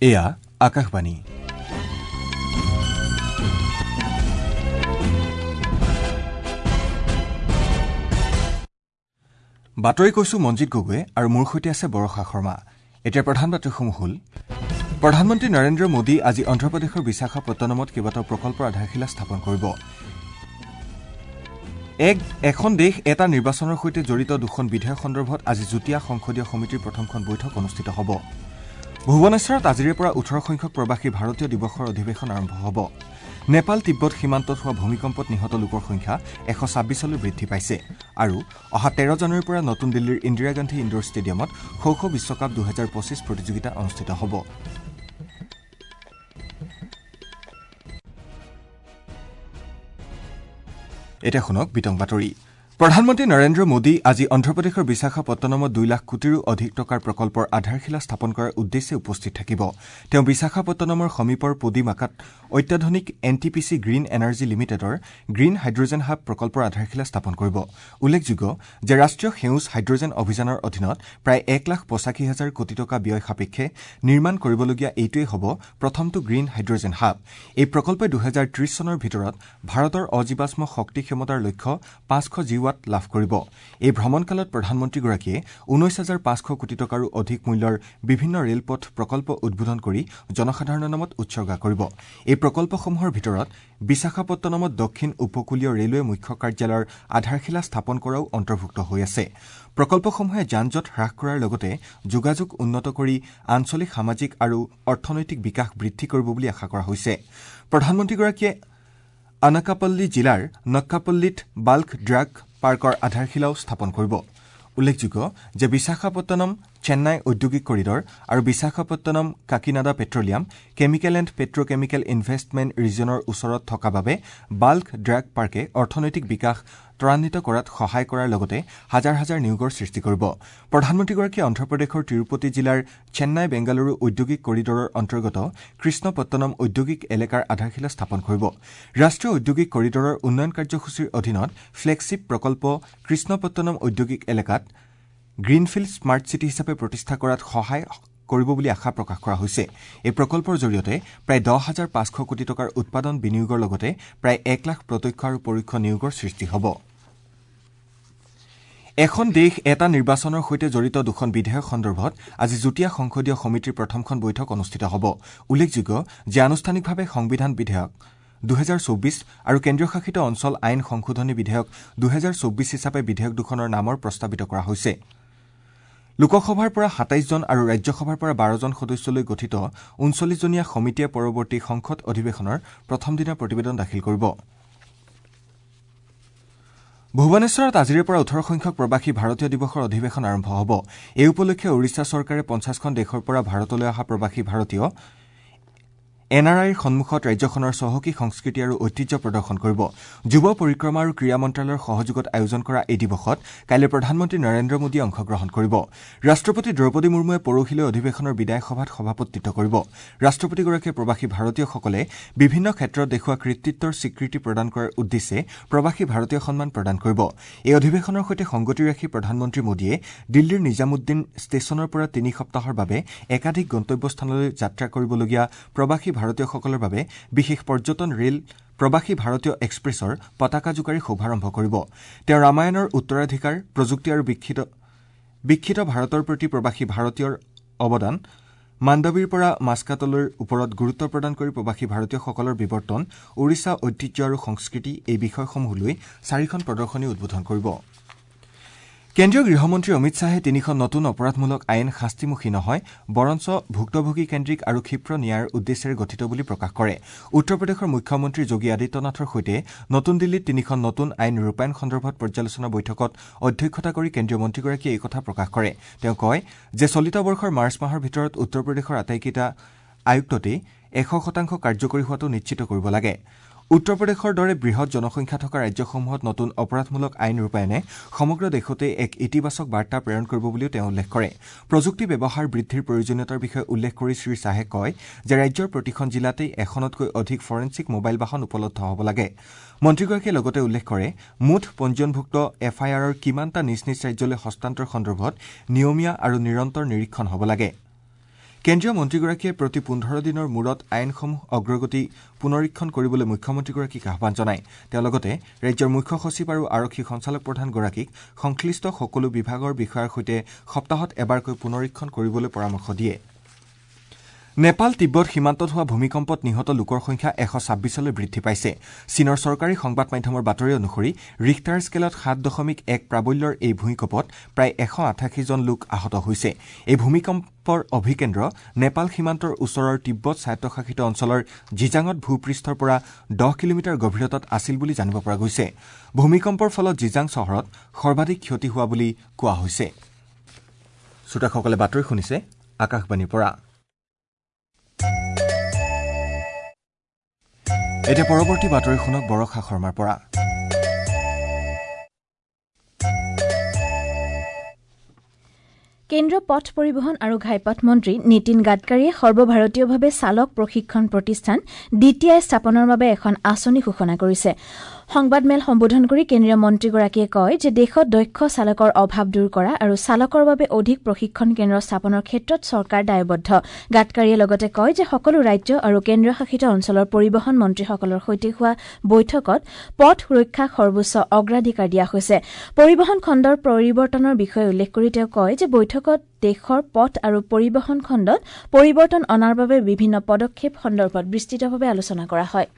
এয়া আকাশবাণী। বাতৰি কৈছো মঞ্জিত গগৈ আৰু মোৰ সৈতে আছে বৰষা শৰ্মা। এতিয়া প্ৰধান বাতৰিসমূহ হ'ল: প্ৰধানমন্ত্ৰী নৰেন্দ্ৰ মোদী আজি অন্ধ্ৰপ্ৰদেশৰ বিশাখাপট্টনমত কেইবাটাও প্ৰকল্পৰ আধাৰশিলা স্থাপন কৰিব। এখন দেশ এটা নিৰ্বাচনৰ সৈতে জড়িত দুখন বিধেয়ক সন্দৰ্ভত আজি যুটীয়া সংসদীয় সমিতিৰ প্ৰথমখন বৈঠক অনুষ্ঠিত হ'ব। ভুৱনেশ্বৰত আজিৰে পৰা ১৮ সংখ্যক প্ৰৱাসী ভাৰতীয় দিৱসৰ অধিৱেশন আৰম্ভ হ'ব। নেপাল তিব্বত সীমান্তত হোৱা ভূমিকম্পত নিহত লোকৰ সংখ্যা ১২৬লৈ বৃদ্ধি পাইছে। আৰু অহা ১৩ জানুৱাৰীৰ পৰা নতুন দিল্লীৰ ইন্দিৰা গান্ধী ইণ্ডোৰ ষ্টেডিয়ামত খো খো বিশ্বকাপ ২০২৫ প্ৰতিযোগিতা অনুষ্ঠিত হ'ব। এতিয়া শুনক বিতং বাতৰি। প্ৰধানমন্ত্ৰী নৰেন্দ্ৰ মোদী আজি অন্ধ্ৰপ্ৰদেশৰ বিশাখাপট্টনমত ২ লাখ কোটিৰো অধিক টকাৰ প্ৰকল্পৰ আধাৰশিলা স্থাপন কৰাৰ উদ্দেশ্যে উপস্থিত থাকিব। তেওঁ বিশাখাপট্টনমৰ সমীপৰ পোডিমাকাত অত্যাধুনিক N T P C green energy লিমিটেডৰ গ্ৰীণ হাইড্ৰজেন হাব প্ৰকল্পৰ আধাৰশিলা স্থাপন কৰিব। উল্লেখযোগ্য যে ৰাষ্ট্ৰীয় সেউজ হাইড্ৰজেন অভিযানৰ অধীনত প্ৰায় ১,৮৫,০০০ কোটি টকা ব্যয় সাপেক্ষে নিৰ্মাণ কৰিবলগীয়া এইটোৱেই হ'ব প্ৰথমটো গ্ৰীণ হাইড্ৰজেন হাব। এই প্ৰকল্পই ২০৩০ চনৰ ভিতৰত ভাৰতৰ অজীৱাশ্ম শক্তি ক্ষমতাৰ লক্ষ্য ৫০০ জিৱাট লাভ কৰিব। এই ভ্ৰমণকালত প্ৰধানমন্ত্ৰীগৰাকীয়ে ১৯,৫০০ কোটি টকাৰো অধিক মূল্যৰ বিভিন্ন ৰেলপথ প্ৰকল্প উদ্বোধন কৰি জনসাধাৰণৰ নামত উৎসৰ্গা কৰিব। এই প্ৰকল্পসমূহৰ ভিতৰত বিশাখাপট্টনমত দক্ষিণ উপকূলীয় ৰেলৱে মুখ্য কাৰ্যালয়ৰ আধাৰশিলা স্থাপন কৰাও অন্তৰ্ভুক্ত হৈ আছে। প্ৰকল্পসমূহে যান জঁট হ্ৰাস কৰাৰ লগতে যোগাযোগ উন্নত কৰি আঞ্চলিক সামাজিক আৰু অৰ্থনৈতিক বিকাশ বৃদ্ধি কৰিব বুলি আশা কৰা হৈছে। প্ৰধানমন্ত্ৰীগৰাকীয়ে আনাকাপল্লী জিলাৰ নক্কাপল্লীত বাল্ক ড্ৰাগ পাৰ্কৰ আধাৰশিলাও স্থাপন কৰিব। উল্লেখযোগ্য যে বিশাখাপট্টনম চেন্নাই ঔদ্যোগিক কৰিডৰ আৰু Visakhapatnam Kakinada petroleum chemical and petrochemical investment ৰিজনৰ ওচৰত থকা বাবে বাল্ক ড্ৰাগ পাৰ্কে অৰ্থনৈতিক বিকাশ ত্বৰান্বিত কৰাত সহায় কৰাৰ লগতে হাজাৰ হাজাৰ নিয়োগৰ সৃষ্টি কৰিব। প্ৰধানমন্ত্ৰীগৰাকীয়ে অন্ধ্ৰপ্ৰদেশৰ তিৰুপতি জিলাৰ চেন্নাই বেংগালুৰু ঔদ্যোগিক কৰিডৰৰ অন্তৰ্গত কৃষ্ণপট্টনম ঔদ্যোগিক এলেকাৰ আধাৰশিলা স্থাপন কৰিব। ৰাষ্ট্ৰীয় ঔদ্যোগিক কৰিডৰৰ উন্নয়ন কাৰ্যসূচীৰ অধীনত ফ্লেগশ্বিপ প্ৰকল্প কৃষ্ণপট্টনম ঔদ্যোগিক এলেকাত গ্ৰীণফিল্ড স্মাৰ্ট চিটি হিচাপে প্ৰতিষ্ঠা কৰাত সহায় কৰিব বুলি আশা প্ৰকাশ কৰা হৈছে। এই প্ৰকল্পৰ জৰিয়তে প্ৰায় ১০,৫০০ কোটি টকাৰ উৎপাদন বিনিয়োগৰ লগতে প্ৰায় ১ লাখ প্ৰত্যক্ষ আৰু পৰোক্ষ নিয়োগৰ সৃষ্টি হ'ব। এখন দেশ এটা নিৰ্বাচনৰ সৈতে জড়িত দুখন বিধেয়ক সন্দৰ্ভত আজি যুটীয়া সংসদীয় সমিতিৰ প্ৰথমখন বৈঠক অনুষ্ঠিত হ'ব। উল্লেখযোগ্য যে আনুষ্ঠানিকভাৱে সংবিধান বিধেয়ক ২০২৪ আৰু কেন্দ্ৰীয়শাসিত অঞ্চল আইন সংশোধনী বিধেয়ক ২০২৪ হিচাপে বিধেয়ক দুখনৰ নামৰ প্ৰস্তাৱিত কৰা হৈছে। লোকসভাৰ পৰা ২৭ জন আৰু ৰাজ্যসভাৰ পৰা ১২ জন সদস্যলৈ গঠিত ৩৯জনীয়া সমিতিয়ে পৰৱৰ্তী সংসদ অধিৱেশনৰ প্ৰথম দিনা প্ৰতিবেদন দাখিল কৰিব। ভুৱনেশ্বৰত আজিৰে পৰা ১৮ সংখ্যক প্ৰৱাসী ভাৰতীয় দিৱসৰ অধিৱেশন আৰম্ভ হ'ব। এই উপলক্ষে ওড়িশা চৰকাৰে ৫০খন দেশৰ পৰা ভাৰতলৈ অহা প্ৰৱাসী ভাৰতীয় এন আৰ আইৰ সন্মুখত ৰাজ্যখনৰ চহকী সংস্কৃতি আৰু ঐতিহ্য প্ৰদৰ্শন কৰিব। যুৱ পৰিক্ৰমা আৰু ক্ৰীড়া মন্ত্ৰালয়ৰ সহযোগত আয়োজন কৰা এই দিৱসত কাইলৈ প্ৰধানমন্ত্ৰী নৰেন্দ্ৰ মোদীয়ে অংশগ্ৰহণ কৰিব। ৰাষ্ট্ৰপতি দ্ৰৌপদী মুৰ্মুৱে পৰহিলৈ অধিৱেশনৰ বিদায় সভাত সভাপতিত্ব কৰিব। ৰাষ্ট্ৰপতিগৰাকীয়ে প্ৰৱাসী ভাৰতীয়সকলে বিভিন্ন ক্ষেত্ৰত দেখুওৱা কৃতিত্বৰ স্বীকৃতি প্ৰদান কৰাৰ উদ্দেশ্যে প্ৰৱাসী ভাৰতীয় সন্মান প্ৰদান কৰিব। এই অধিৱেশনৰ সৈতে সংগতি ৰাখি প্ৰধানমন্ত্ৰী মোদীয়ে দিল্লীৰ নিজামুদ্দিন ষ্টেচনৰ পৰা ৩ সপ্তাহৰ বাবে একাধিক গন্তব্যস্থানলৈ যাত্ৰা কৰিবলগীয়া প্ৰৱাসী ভাৰতীয়সকলৰ বাবে বিশেষ পৰ্যটন ৰেল প্ৰৱাসী ভাৰতীয় এক্সপ্ৰেছৰ পতাকা জোকাৰি শুভাৰম্ভ কৰিব। তেওঁ ৰামায়ণৰ উত্তৰাধিকাৰ, প্ৰযুক্তি আৰু বিকশিত ভাৰতৰ প্ৰতি প্ৰৱাসী ভাৰতীয়ৰ অৱদান, মাণ্ডৱীৰ পৰা মাস্কাটলৈৰ ওপৰত গুৰুত্ব প্ৰদান কৰি প্ৰৱাসী ভাৰতীয়সকলৰ বিৱৰ্তন, ওড়িশা ঐতিহ্য আৰু সংস্কৃতি এই বিষয়সমূহ লৈ ৪খন প্ৰদৰ্শনী উদ্বোধন কৰিব। কেন্দ্ৰীয় গৃহমন্ত্ৰী অমিত শ্বাহে ৩খন নতুন অপৰাধমূলক আইন শাস্তিমুখী নহয় বৰঞ্চ ভুক্তভোগী কেন্দ্ৰিক আৰু ক্ষীপ্ৰ ন্যায়ৰ উদ্দেশ্যেৰে গঠিত বুলি প্ৰকাশ কৰে। উত্তৰ প্ৰদেশৰ মুখ্যমন্ত্ৰী যোগী আদিত্যনাথৰ সৈতে নতুন দিল্লীত ৩খন নতুন আইন ৰূপায়ণ সন্দৰ্ভত পৰ্যালোচনা বৈঠকত অধ্যক্ষতা কৰি কেন্দ্ৰীয় মন্ত্ৰীগৰাকীয়ে এই কথা প্ৰকাশ কৰে। তেওঁ কয় যে চলিত বৰ্ষৰ মাৰ্চ মাহৰ ভিতৰত উত্তৰ প্ৰদেশৰ আটাইকেইটা আয়ুক্ততেই ১০০% কাৰ্যকৰী হোৱাটো নিশ্চিত কৰিব লাগে। উত্তৰ প্ৰদেশৰ দৰে বৃহৎ জনসংখ্যা থকা ৰাজ্যসমূহত নতুন অপৰাধমূলক আইন ৰূপায়ণে সমগ্ৰ দেশতে এক ইতিবাচক বাৰ্তা প্ৰেৰণ কৰিব বুলিও তেওঁ উল্লেখ কৰে। প্ৰযুক্তি ব্যৱহাৰ বৃদ্ধিৰ প্ৰয়োজনীয়তাৰ বিষয়ে উল্লেখ কৰি শ্ৰী শ্বাহে কয় যে ৰাজ্যৰ প্ৰতিখন জিলাতেই এখনতকৈ অধিক ফৰেনছিক মোবাইল বাহন উপলব্ধ হ'ব লাগে। মন্ত্ৰীগৰাকীয়ে লগতে উল্লেখ কৰে মুঠ পঞ্জীয়নভুক্ত এফ আই আৰৰ কিমানটা নিজ নিজ ৰাজ্যলৈ হস্তান্তৰ সন্দৰ্ভত নিয়মীয়া আৰু নিৰন্তৰ নিৰীক্ষণ হ'ব লাগে। কেন্দ্ৰীয় মন্ত্ৰীগৰাকীয়ে প্ৰতি 15 দিনৰ মূৰত আইনসমূহ অগ্ৰগতি পুনৰীক্ষণ কৰিবলৈ মুখ্যমন্ত্ৰীগৰাকীক আহ্বান জনায়। তেওঁ লগতে ৰাজ্যৰ মুখ্য সচিব আৰু আৰক্ষী সঞ্চালকপ্ৰধানগৰাকীক সংশ্লিষ্ট সকলো বিভাগৰ বিষয়াৰ সৈতে সপ্তাহত এবাৰকৈ পুনৰীক্ষণ কৰিবলৈ পৰামৰ্শ দিয়ে। নেপাল তিব্বত সীমান্তত হোৱা ভূমিকম্পত নিহত লোকৰ সংখ্যা 126লৈ বৃদ্ধি পাইছে। চীনৰ চৰকাৰী সংবাদ মাধ্যমৰ বাতৰি অনুসৰি ৰিখটাৰ স্কেলত 7.1 প্ৰাবল্যৰ এই ভূঁইকঁপত প্ৰায় 188 জন লোক আহত হৈছে। এই ভূমিকম্পৰ অভিকেন্দ্ৰ নেপাল সীমান্তৰ ওচৰৰ তিব্বত স্বায়ত্তশাসিত অঞ্চলৰ জিজাঙত ভূপৃষ্ঠৰ পৰা 10 কিলোমিটাৰ গভীৰতাত আছিল বুলি জানিব পৰা গৈছে। ভূমিকম্পৰ ফলত জিজাং চহৰত সৰ্বাধিক ক্ষতি হোৱা বুলি কোৱা হৈছে। শ্ৰোতাসকলে বাতৰি শুনিছে আকাশবাণীৰ পৰা। এতিয়া পৰৱৰ্তী বাতৰি শুনক বৰষা শৰ্মাৰ পৰা। কেন্দ্ৰীয় পথ পৰিবহণ আৰু ঘাইপথ মন্ত্ৰী নীতিন গাডকাৰীয়ে সৰ্বভাৰতীয়ভাৱে চালক প্ৰশিক্ষণ প্ৰতিষ্ঠান ডি টি I স্থাপনৰ বাবে এখন আঁচনি ঘোষণা কৰিছে। সংবাদমেল সম্বোধন কৰি কেন্দ্ৰীয় মন্ত্ৰীগৰাকীয়ে কয় যে দেশত দক্ষ চালকৰ অভাৱ দূৰ কৰা আৰু চালকৰ বাবে অধিক প্ৰশিক্ষণ কেন্দ্ৰ স্থাপনৰ ক্ষেত্ৰত চৰকাৰ দায়বদ্ধ। গাডকাৰীয়ে লগতে কয় যে সকলো ৰাজ্য আৰু কেন্দ্ৰীয় শাসিত অঞ্চলৰ পৰিবহণ মন্ত্ৰীসকলৰ সৈতে হোৱা বৈঠকত পথ সুৰক্ষাক সৰ্বোচ্চ অগ্ৰাধিকাৰ দিয়া হৈছে। পৰিবহণ খণ্ডৰ পৰিৱৰ্তনৰ বিষয়ে উল্লেখ কৰি তেওঁ কয় যে বৈঠকত দেশৰ পথ আৰু পৰিবহণ খণ্ডত পৰিৱৰ্তন অনাৰ বাবে বিভিন্ন পদক্ষেপ সন্দৰ্ভত বিস্তৃতভাৱে আলোচনা কৰা হয়।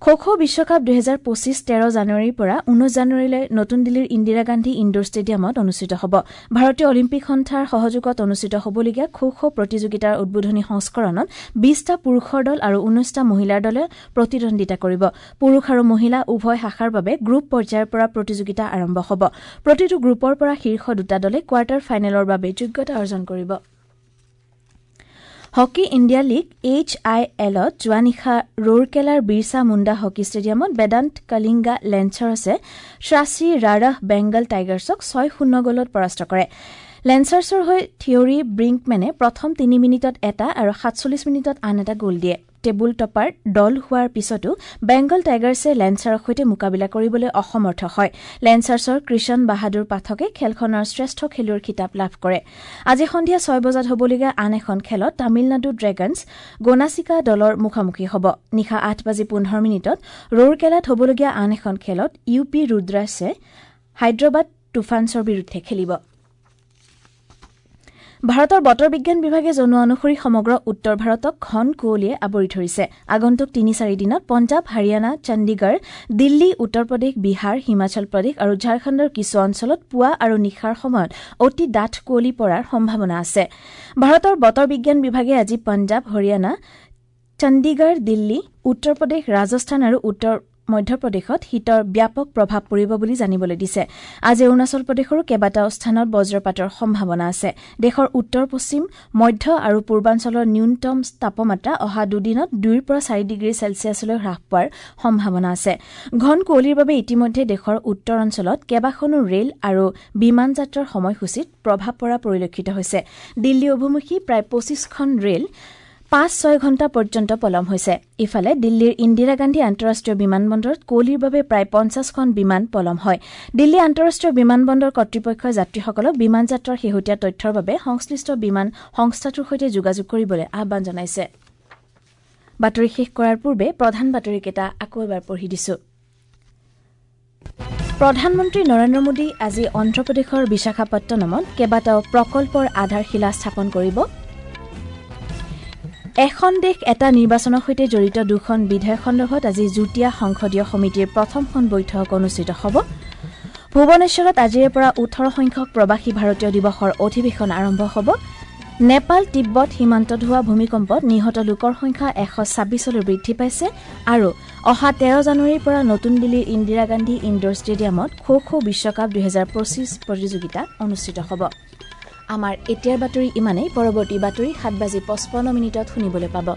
খো খো বিশ্বকাপ 2025 13 জানুৱাৰীৰ পৰা 19 জানুৱাৰীলৈ নতুন দিল্লীৰ ইন্দিৰা গান্ধী ইণ্ডোৰ ষ্টেডিয়ামত অনুষ্ঠিত হ'ব। ভাৰতীয় অলিম্পিক সন্থাৰ সহযোগত অনুষ্ঠিত হ'বলগীয়া খো খো প্ৰতিযোগিতাৰ উদ্বোধনী সংস্কৰণত 20টা পুৰুষৰ দল আৰু 19টা মহিলাৰ দলে প্ৰতিদ্বন্দ্বিতা কৰিব। পুৰুষ আৰু মহিলা উভয় শাখাৰ বাবে গ্ৰুপ পৰ্যায়ৰ পৰা প্ৰতিযোগিতা আৰম্ভ হ'ব। প্ৰতিটো গ্ৰুপৰ পৰা শীৰ্ষ দুটা দলে কোৱাৰ্টাৰ ফাইনেলৰ বাবে যোগ্যতা অৰ্জন কৰিব। Hockey India league H I এলত যোৱা নিশা ৰৌৰকেলাৰ বিৰছা মুণ্ডা হকী ষ্টেডিয়ামত বেদান্ত কলিংগা লেন্সাৰ্ছে শ্ৰাচী ৰাৰাহ বেংগল টাইগাৰ্ছক 6-0 গ'লত পৰাস্ত কৰে। লেন্সাৰ্ছৰ হৈ থিয়ৰী ব্ৰিংকমেনে প্ৰথম 3 মিনিটত এটা আৰু 47 মিনিটত আন এটা গ'ল দিয়ে। টেবুল টপাৰ দল হোৱাৰ পিছতো বেংগল টাইগাৰ্ছে লেন্সাৰৰ সৈতে মোকাবিলা কৰিবলৈ অসমৰ্থ হয়। লেন্সাৰ্ছৰ কৃষণ বাহাদুৰ পাঠকে খেলখনৰ শ্ৰেষ্ঠ খেলুৱৈৰ খিতাপ লাভ কৰে। আজি সন্ধিয়া 6 বজাত হ'বলগীয়া আন এখন খেলত তামিলনাডু ড্ৰেগনছ গোনাচিকা দলৰ মুখামুখি হ'ব। নিশা 8:15 ৰৌৰকেলাত হ'বলগীয়া আন এখন খেলত ইউ পি ৰুদ্ৰাছে হায়দৰাবাদ তুফানছৰ বিৰুদ্ধে খেলিব। ভাৰতৰ বতৰ বিজ্ঞান বিভাগে জনোৱা অনুসৰি সমগ্ৰ উত্তৰ ভাৰতক ঘন কুঁৱলীয়ে আৱৰি ধৰিছে। আগন্তুক 3-4 দিনত পঞ্জাৱ, হাৰিয়ানা, চণ্ডীগড়, দিল্লী, উত্তৰ প্ৰদেশ, বিহাৰ, হিমাচল প্ৰদেশ আৰু ঝাৰখণ্ডৰ কিছু অঞ্চলত পুৱা আৰু নিশাৰ সময়ত অতি ডাঠ কুঁৱলী পৰাৰ সম্ভাৱনা আছে। ভাৰতৰ বতৰ বিজ্ঞান বিভাগে আজি পঞ্জাৱ, হাৰিয়ানা, চণ্ডীগড়, দিল্লী, উত্তৰ প্ৰদেশ, ৰাজস্থান আৰু উত্তৰ মধ্যপ্ৰদেশত শীতৰ ব্যাপক প্ৰভাৱ পৰিব বুলি জানিবলৈ দিছে। আজি অৰুণাচল প্ৰদেশৰো কেইবাটাও স্থানত বজ্ৰপাতৰ সম্ভাৱনা আছে। দেশৰ উত্তৰ পশ্চিম, মধ্য আৰু পূৰ্বাঞ্চলৰ ন্যূনতম তাপমাত্ৰা অহা দুদিনত 2ৰ পৰা 4 ডিগ্ৰী চেলছিয়াছলৈ হ্ৰাস পোৱাৰ সম্ভাৱনা আছে। ঘন কুঁৱলীৰ বাবে ইতিমধ্যে দেশৰ উত্তৰ অঞ্চলত কেইবাখনো ৰেল আৰু বিমান যাত্ৰাৰ সময়সূচীত প্ৰভাৱ পৰা পৰিলক্ষিত হৈছে। দিল্লী অভিমুখী প্ৰায় 25খন ৰেল 5-6 ঘণ্টা পৰ্যন্ত পলম হৈছে। ইফালে দিল্লীৰ ইন্দিৰা গান্ধী আন্তঃৰাষ্ট্ৰীয় বিমানবন্দৰত কুঁৱলীৰ বাবে প্ৰায় 50খন বিমান পলম হয়। দিল্লী আন্তঃৰাষ্ট্ৰীয় বিমানবন্দৰ কৰ্তৃপক্ষই যাত্ৰীসকলক বিমান যাত্ৰাৰ শেহতীয়া তথ্যৰ বাবে সংশ্লিষ্ট বিমান সংস্থাটোৰ সৈতে যোগাযোগ কৰিবলৈ আহ্বান জনাইছে। বাতৰি শেষ কৰাৰ পূৰ্বে প্ৰধান বাতৰিকেইটা আকৌ এবাৰ পঢ়ি দিছো। প্ৰধানমন্ত্ৰী নৰেন্দ্ৰ মোদী আজি অন্ধ্ৰপ্ৰদেশৰ বিশাখাপট্টনমত কেইবাটাও প্ৰকল্পৰ আধাৰশিলা স্থাপন কৰিব। এখন দেশ এটা নিৰ্বাচনৰ সৈতে জড়িত দুখন বিধেয়ক সন্দৰ্ভত আজি যুটীয়া সংসদীয় সমিতিৰ প্ৰথমখন বৈঠক অনুষ্ঠিত হ'ব। ভুৱনেশ্বৰত আজিৰে পৰা 18 সংখ্যক প্ৰৱাসী ভাৰতীয় দিৱসৰ অধিৱেশন আৰম্ভ হ'ব। নেপাল তিব্বত সীমান্তত হোৱা ভূমিকম্পত নিহত লোকৰ সংখ্যা 126লৈ বৃদ্ধি পাইছে আৰু অহা 13 জানুৱাৰীৰ পৰা নতুন দিল্লীৰ ইন্দিৰা গান্ধী ইণ্ডোৰ ষ্টেডিয়ামত খো খো বিশ্বকাপ 2025 প্ৰতিযোগিতা অনুষ্ঠিত হ'ব। আমাৰ এতিয়াৰ বাতৰি ইমানেই। পৰৱৰ্তী বাতৰি 7:55 শুনিবলৈ পাব।